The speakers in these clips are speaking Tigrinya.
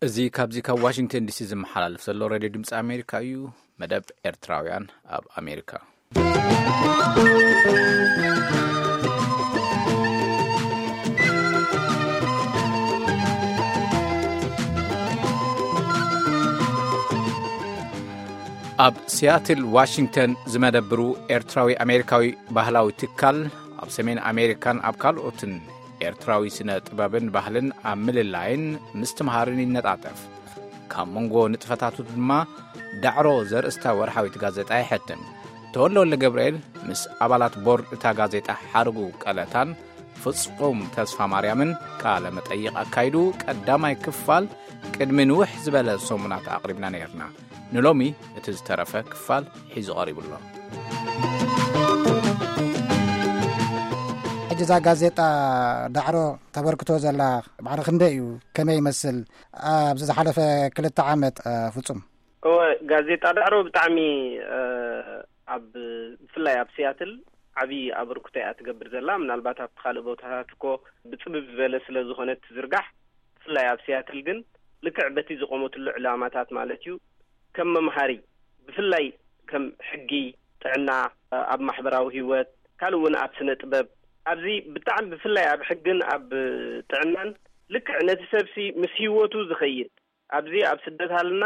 እዚ ካብዚ ካብ ዋሽንግተን ዲሲ ዝመሓላለፍ ዘሎ ሬድዮ ድምፂ ኣሜሪካ እዩ። መደብ ኤርትራውያን ኣብ ኣሜሪካ። ኣብ ሲያትል ዋሽንግተን ዝመደብሩ ኤርትራዊ ኣሜሪካዊ ባህላዊ ትካል ኣብ ሰሜን ኣሜሪካን ኣብ ካልኦትን ኤርትራዊ ስነ ጥበብን ባህልን ኣብ ምልላይን ምስትምሃርን ይነጣጠፍ። ካብ መንጎ ንጥፈታቱ ድማ ዳዕሮ ዘርእስታ ወርሓዊት ጋዜጣ ይሐትም። ተወልደ ወልደ ገብርኤል ምስ ኣባላት ቦርድ እታ ጋዜጣ ሓርጉ ቀለታን ፍጹም ተስፋ ማርያምን ቃለ መጠይቕ ኣካይዱ። ቀዳማይ ክፋል ቅድሚ ንውሕ ዝበለ ሰሙናት ኣቕሪብና ነይርና። ንሎሚ እቲ ዝተረፈ ክፋል ሒዙ ቀሪቡ ኣሎ። ሕጂ እዛ ጋዜጣ ዳዕሮ ተበርክቶ ዘላ ባዕሪ ክንደይ እዩ? ከመይ ይመስል? ኣብዚ ዝሓለፈ ክልተ ዓመት፣ እ፣ ፍጹም። እወ፣ ጋዜጣ ዳዕሮ ብጣዕሚ፣ እ፣ ኣብ፣ ብፍላይ ኣብ ሲያትል ዓብዪ ኣበርክቶ እያ ትገብር ዘላ። ምናልባት ኣብቲ ካልእ ቦታታት እኮ ብጽብብ ዝበለ ስለ ዝኾነ ትዝርጋሕ፣ ብፍላይ ኣብ ሲያትል ግን ልክዕ በቲ ዝቆመትሉ ዕላማታት ማለት እዩ፣ ከም መምሃሪ፣ ብፍላይ ከም ሕጊ፣ ጥዕና፣ ኣብ ማሕበራዊ ህይወት፣ ካልእ እውን ኣብ ስነ ጥበብ፣ ኣብዚ ብጣዕሚ ብፍላይ ኣብ ሕግን ኣብ ጥዕናን ልክዕ ነቲ ሰብሲ ምስ ህይወቱ ዝኸይድ፣ ኣብዚ ኣብ ስደት ሃልና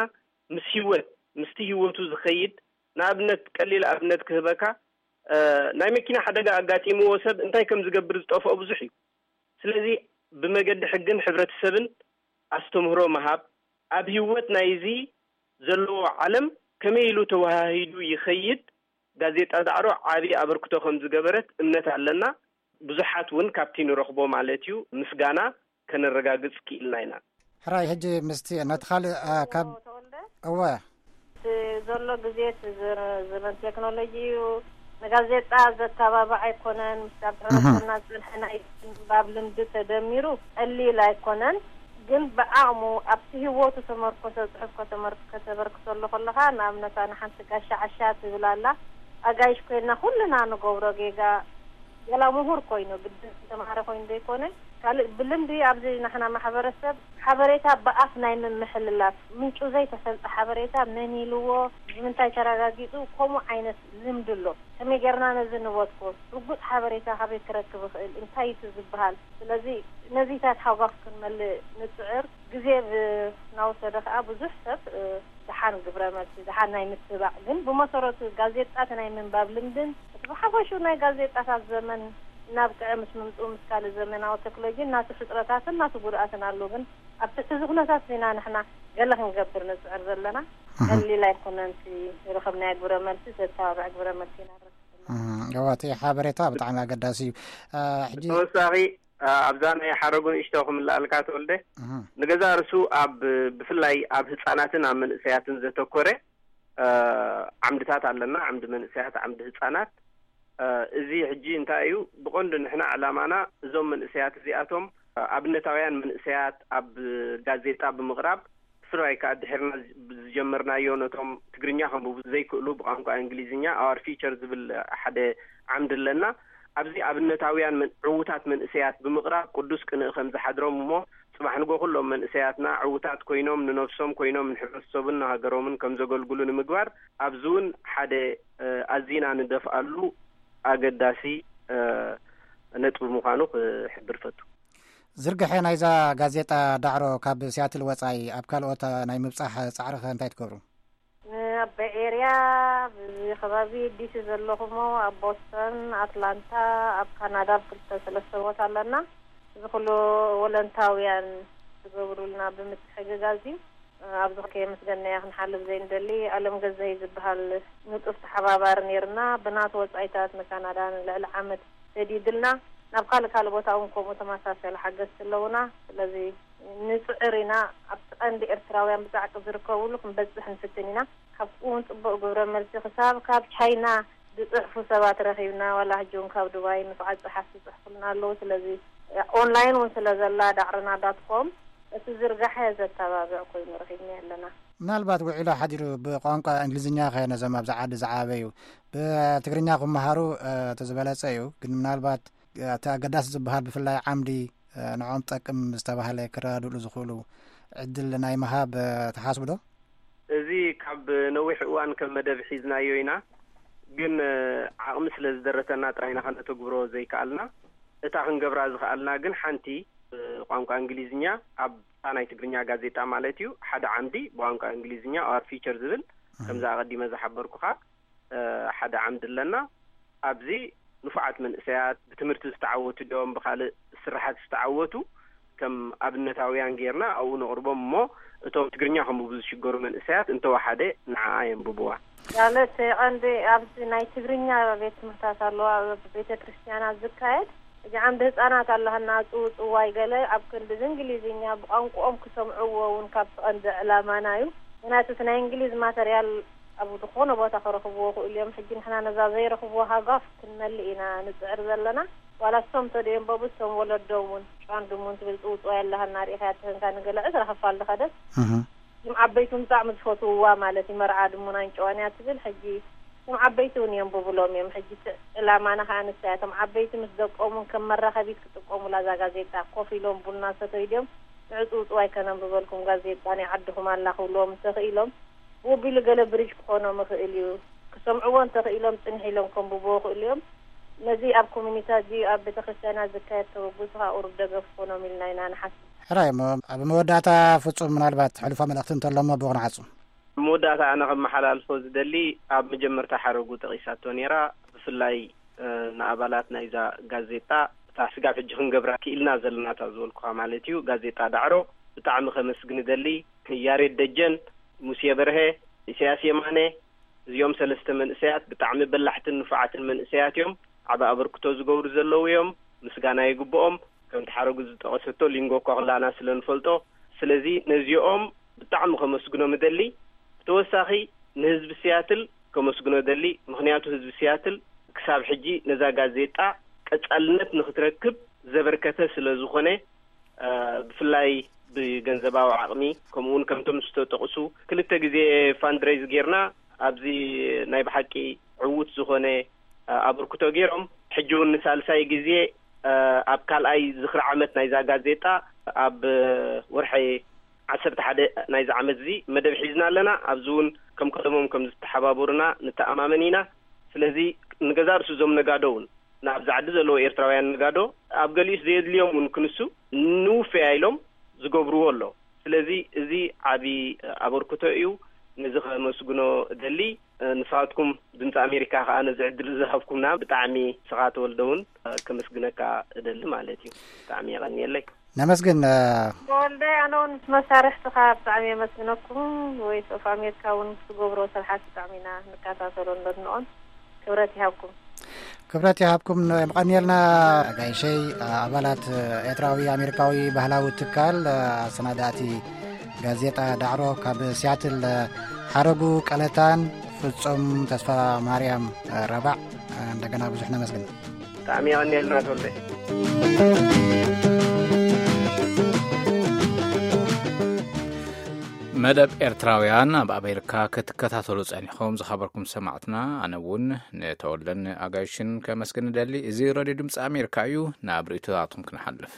ምስ ህይወት፣ ምስቲ ህይወቱ ዝኸይድ፣ ንኣብነት ቀሊል ኣብነት ክህበካ፣ እ፣ ናይ መኪና ሓደጋ ኣጋጢምዎ ሰብ እንታይ ከም ዝገብር ዝጠፍኦ ብዙሕ እዩ። ስለዚ ብመገዲ ሕግን ሕብረተሰብን ኣስተምህሮ ምሃብ፣ ኣብ ህይወት ናይዚ ዘለዎ ዓለም ከመይ ኢሉ ተወሃሂዱ ይኸይድ፣ ጋዜጣ ዳዕሮ ዓቢ ኣበርክቶ ከም ዝገበረት እምነት ኣለና። ብዙሓት እውን ካብቲ ንረኽቦ ማለት እዩ ምስጋና ከነረጋግጽ ክኢልና ኢና። ሕራይ፣ ሕጂ ምስቲ ነቲ ካልእ፣ እ፣ ካብ ተወልደ? እወ። እቲ ዘሎ ግዜ እቲ ዘ-፣ ዘመን ቴክኖሎጂ እዩ። ንጋዜጣ ዘተባብዕ ኣይኮነን። ምስቲ ኣብ እህ። ሕብረተሰብና ዝጸንሐ ናይ ምንባብ ልምዲ ተደሚሩ ቀሊል ኣይኮነን። ግን ብዓቕሙ ኣብቲ ህይወቱ ተመርኮሰ ጽሑፍ ከተመር-፣ ከተበርክተሉ ከለኻ፣ ንኣብነት ኣነ ሓንቲ ጋሻ ዓሻ ትብል ኣላ። ኣጋይሽ ኮይንና ኩልና ንገብሮ ጌጋ፣ ገላ ምሁር ኮይኑ፣ ግድን ዝተማሃረ ኮይኑ ዘይኮነ፣ ካልእ ብልምዲ ኣብዚ ናሕና ማሕበረሰብ ሓበሬታ ብኣፍ ናይ ምምሕልላፍ፣ ምንጩ ዘይተፈልጠ ሓበሬታ መን ኢልዎ፣ ብምንታይ ተረጋጊጹ፣ ከምኡ ዓይነት ልምዲ ኣሎ። ከመይ ጌርና ነዚ ንበትኮ? ርጉጽ ሓበሬታ ካበይ ክረክብ እኽእል? እንታይ እዩ እቲ ዝበሃል? ስለዚ ነዚታት ሓጓፍ ክንመልእ ንጽዕር። ግዜ ብ-፣ እናወሰደ ከኣ ብዙሕ ሰብ፣ እ፣ ደሓን ግብረ መልሲ፣ ደሓን ናይ ምትባዕ፣ ግን ብመሰረቱ ጋዜጣ እቲ ናይ ምንባብ ልምድን እቲ ብሓፈሽኡ ናይ ጋዜጣታት ዘመን እናብቅዐ ምስ ምምጽኡ ምስ ካልእ ዘመናዊ ቴክኖሎጂ ናቱ ሕጽረታትን ናቱ ጉድኣትን ኣሎ። ግን ኣብ ትሕቲ እዚ ኩነታት ኢና ንሕና ገለ ክንገብር ንጽዕር ዘለና። እህ። ቀሊል ኣይኮነን እቲ ዝረኸብናዮ ግብረ መልሲ፣ ዘተባብዕ ግብረ መልሲ ኢና ንረክብ ዘለና። እህ፣ እዋ፣ እቲ ሓበሬታ ብጣዕሚ ኣገዳሲ እዩ። እ፣ ሕጂ ተወሳኺ፣ እ፣ ኣብዛ ናይ ሓረጉ ንእሽቶ ክምልኣልካ ተወልደ፣ እህ። ንገዛ ርእሱ ኣብ፣ ብፍላይ ኣብ ህጻናትን ኣብ መንእሰያትን ዘተኮረ፣ እ፣ ዓምድታት ኣለና፣ ዓምዲ መንእሰያት፣ ዓምዲ ህጻናት። እ፣ እዚ ሕጂ እንታይ እዩ? ብቐንዱ ንሕና ዕላማና እዞም መንእሰያት እዚኣቶም፣ እ፣ ኣብነታውያን መንእሰያት ኣብ ጋዜጣ ብምቕራብ፣ ብፍላይ ከኣ ድሒርና ዝ-፣ ዝጀመርናዮ ነቶም ትግርኛ ከንብቡ ዘይክእሉ ብቋንቋ እንግሊዝኛ Our Future ዝብል ሓደ ዓምዲ ኣለና። ኣብዚ ኣብነታውያን መን-፣ ዕዉታት መንእሰያት ብምቕራብ ቅዱስ ቅንኢ ከም ዝሓድሮም እሞ ጽባሕ ንጎ ኩሎም መንእሰያትና ዕዉታት ኮይኖም ንነፍሶም ኮይኖም ንሕብረተሰቡን ንሃገሮምን ከም ዘገልግሉ ንምግባር ኣብዚ እውን ሓደ፣ እ፣ ኣዚና ንደፍኣሉ ኣገዳሲ፣ እ፣ ነጥቢ ምዃኑ ክሕብር ፈቱ። ዝርግሐ ናይዛ ጋዜጣ ዳዕሮ ካብ ሲያትል ወጻኢ ኣብ ካልኦት ናይ ምብጻሕ ጻዕሪ ከ እንታይ ትገብሩ? ኣብ ቤይ ኤርያ፣ ኣብዚ ከባቢ ዲሲ ዘለኹሞ፣ ኣብ ቦስተን፣ ኣትላንታ፣ ኣብ ካናዳ ኣብ ክልተ ሰለስተ ቦታ ኣለና። እዚ ኩሉ ወለንታውያን ዝገብሩልና ብምትሕግጋዝ እዩ። ኣብዚ ከየመስገንናያ ክንሓልፍ ዘይንደሊ፣ ኣለም ገዛኢ ዝበሃል ንጡፍ ተሓባባሪ ነይርና። ብናቱ ወጻኢታት ንካናዳ ንልዕሊ ዓመት ሰዲድልና። ናብ ካልእ ካልእ ቦታ እውን ከምኡ ተመሳሳሊ ሓገዝቲ ኣለውና። ስለዚ ንጽዕር ኢና። ኣብቲ ቀንዲ ኤርትራውያን ብጻዕቂ ዝርከብሉ ክንበጽሕ ንፍትን ኢና። ካብኡ እውን ጽቡቕ ግብረ መልሲ ክሳብ ካብ ቻይና ዝጽሕፉ ሰባት ረኺብና። ዋላ ሕጂ እውን ካብ ዱባይ ንፉዓት ጸሓፍቲ ይጽሕፉልና ኣለዉ። ስለዚ ኦንላይን እውን ስለ ዘላ ዳዕረና ዳት ኮም እቲ ዝርጋሐ ዘተባብዕ ኮይኑ ረኺብና ኣለና። ምናልባት ውዒሉ ሓዲሩ ብቋንቋ እንግሊዝኛ ከ ነዞም ኣብዚ ዓዲ ዝዓበዩ ብትግርኛ ክመሃሩ፣ እ፣ እቲ ዝበለጸ እዩ። ግን ምናልባት እቲ ኣገዳሲ ዝበሃል ብፍላይ ዓምዲ፣ እ፣ ንዕኦም ጠቅም ዝተባህለ ክረዳድእሉ ዝኽእሉ፣ ዕድል ናይ ምሃብ፣ እ፣ ትሓስቡ ዶ? እዚ ካብ ነዊሕ እዋን ከም መደብ ሒዝናዮ ኢና፣ ግን፣ እ፣ ዓቕሚ ስለ ዝደረተና ጥራይ ኢና ከነተግብሮ ዘይከኣልና። እታ ክንገብራ ዝኸኣልና ግን ሓንቲ፣ እ፣ ቋንቋ እንግሊዝኛ ኣብታ ናይ ትግርኛ ጋዜጣ ማለት እዩ፣ ሓደ ዓምዲ ብቋንቋ እንግሊዝኛ፣ Our Future ዝብል፣ ከምዛ ኣቐዲመ ዝሓበርኩኻ፣ እ፣ ሓደ ዓምዲ ኣለና። ኣብዚ ንፉዓት መንእሰያት ብትምህርቲ ዝተዓወቱ ድዮም፣ ብኻልእ ስራሓት ዝተዓወቱ፣ ከም ኣብነታውያን ጌርና ኣብኡ ነቕርቦም እሞ፣ እቶም ትግርኛ ከንብቡ ዝሽገሩ መንእሰያት እንተወሓደ ንዓኣ የንብብዋ። ማለት ቀንዲ ኣብዚ ናይ ትግርኛ ቤት ትምህርታት ኣለዋ፣ ኣብ ቤተ ክርስቲያናት ዝካየድ። እዚ ዓምዲ ህፃናት ኣለሃና፣ ጽውጽዋይ ገለ ኣብ ክንዲ እንግሊዝኛ ብቋንቋኦም ክሰምዕዎ እውን ካብቲ ቀንዲ ዕላማና እዩ። ምክንያቱ እቲ ናይ እንግሊዝ ማተርያል ኣብ ዝኾነ ቦታ ክረኽብዎ ክእሉ እዮም። ሕጂ ንሕና ነዛ ዘይረኽብዎ ሃጓፍ ክንመልእ ኢና ንጽዕር ዘለና። ዋላ እሶም ተደየንበቡ እሶም ወለዶም እውን ጫንዱም እውን ትብል ጽውጽዋይ ኣለሃና፣ ርኢኻያ ትህንካ ንገለ ዕስራ ክፋል ዝኸደት። እም። እዞም ዓበይቲ እውን ብጣዕሚ ዝፈትውዋ ማለት እዩ። መርዓ ድሙናን ጨዋን እያ ትብል። ሕጂ እቶም ዓበይቲ እውን የንብብሎም እዮም። ሕጂ እቲ ዕላማና ከዓ ንሳ እያ። እቶም ዓበይቲ ምስ ደቆም እውን ከም መራኸቢት ክጥቀሙላ እዛ ጋዜጣ። ኮፍ ኢሎም ቡና ሰተዩ ድዮም ንዕጽውጽዋይ ከነንብበልኩም ጋዜጣ ናይ ዓድኹም ኣላ ክብልዎም እንተኽኢሎም፣ ብኡ ኣቢሉ ገለ ብሪጅ ክኾኖም ይኽእል እዩ። ክሰምዕዎ እንተኽኢሎም ጽንሕ ኢሎም ከንብብዎ ይኽእሉ እዮም። ነዚ ኣብ ኮሚኒታት ድዩ ኣብ ቤተ ክርስቲያናት ዝካየድ ተበግሶ ከዓ ቁሩብ ደገፍ ክኾኖም ኢልና ኢና ንሓስብ። ሕራይ እሞ ኣብ መወዳእታ ፍጹም ምናልባት ሕሉፋ መልእኽቲ እንተሎ እሞ ብኡ ክንዓጹ። መወዳእታ ኣነ ከመሓላልፎ ዝደሊ ኣብ መጀመርታ ሓረጉ ጠቒሳቶ ነይራ። ብፍላይ፣ እ፣ ንኣባላት ናይዛ ጋዜጣ እታ ስጋብ ሕጂ ክንገብራ ክኢልና ዘለናታ ዝበልኩኻ ማለት እዩ፣ ጋዜጣ ዳዕሮ ብጣዕሚ ከመስግን እደሊ። ያሬድ ደጀን፣ ሙሴ በርሀ፣ ኢሳያስ የማነ፣ እዚኦም ሰለስተ መንእሰያት ብጣዕሚ በላሕትን ንፉዓትን መንእሰያት እዮም። ዓቢ ኣበርክቶ ዝገብሩ ዘለዉ እዮም። ምስጋና ይግብኦም። ከምቲ ሓረጉ ዝጠቐሰቶ ሊንጎ እኳ ኩላና ስለ ንፈልጦ፣ ስለዚ ነዚኦም ብጣዕሚ ከመስግኖም እደሊ። ብተወሳኺ ንህዝቢ ሲያትል ከመስግኖ እደሊ። ምኽንያቱ ህዝቢ ሲያትል ክሳብ ሕጂ ነዛ ጋዜጣ ቀጻልነት ንኽትረክብ ዘበርከተ ስለ ዝኾነ፣ እ፣ ብፍላይ ብገንዘባዊ ዓቕሚ፣ ከምኡ እውን ከምቶም ዝተጠቕሱ ክልተ ግዜ ፋንድሬዝ ጌርና ኣብዚ ናይ ብሓቂ ዕዉት ዝኾነ፣ እ፣ ኣበርክቶ ገይሮም። ሕጂ እውን ንሳልሳይ ግዜ፣ እ፣ ኣብ ካልኣይ ዝኽሪ ዓመት ናይዛ ጋዜጣ ኣብ ወርሒ ዓሰርተ ሓደ ናይዚ ዓመት እዚ መደብ ሒዝና ኣለና። ኣብዚ እውን ከም ቀደሞም ከም ዝተሓባበሩና ንተኣማመን ኢና። ስለዚ ንገዛእ ርእሱ እዞም ነጋዶ እውን ንኣብዛ ዓዲ ዘለዉ ኤርትራውያን ነጋዶ ኣብ ገሊኡስ ዘየድልዮም እውን ክንሱ ንውፈያ ኢሎም ዝገብርዎ ኣሎ። ስለዚ እዚ ዓቢ ኣበርክቶ እዩ። ነዚ ከመስግኖ እደሊ። ንስኻትኩም ድምፂ ኣሜሪካ ከኣ ነዚ ዕድል ዝሃብኩምና ብጣዕሚ ንስኻ ተወልደ እውን ከመስግነካ እደሊ ማለት እዩ። ብጣዕሚ የቐንየለይ። ነመስግን። ተወልደ፣ ኣነ እውን ምስ መሳርሕትኻ ብጣዕሚ የመስግነኩም። ቮይስ ኦፍ ኣሜሪካ እውን ትገብሮ ስራሓት ብጣዕሚ ኢና ንከታተሎን ነድንቖን። ክብረት ይሃብኩም። ክብረት ይሃብኩም። የቐንየልና ኣጋይሸይ። ኣባላት ኤርትራዊ ኣሜሪካዊ ባህላዊ ትካል፣ ኣሰናዳእቲ ጋዜጣ ዳዕሮ ካብ ሲያትል፣ ሓረጉ ቀለታን ፍጹም ተስፋ ማርያም ረባዕ፣ እንደገና ብዙሕ ነመስግን። ብጣዕሚ የቐንየልና ተወልደ። መደብ ኤርትራውያን ኣብ ኣሜሪካ ክትከታተሉ ጸኒሕኩም ዝኸበርኩም ሰማዕትና፣ ኣነ እውን ንተወልደን ኣጋይሽን ከመስግን እደሊ። እዚ ሬድዮ ድምፂ ኣሜሪካ እዩ። ናብ ርእይቶታትኩም ክንሓልፍ።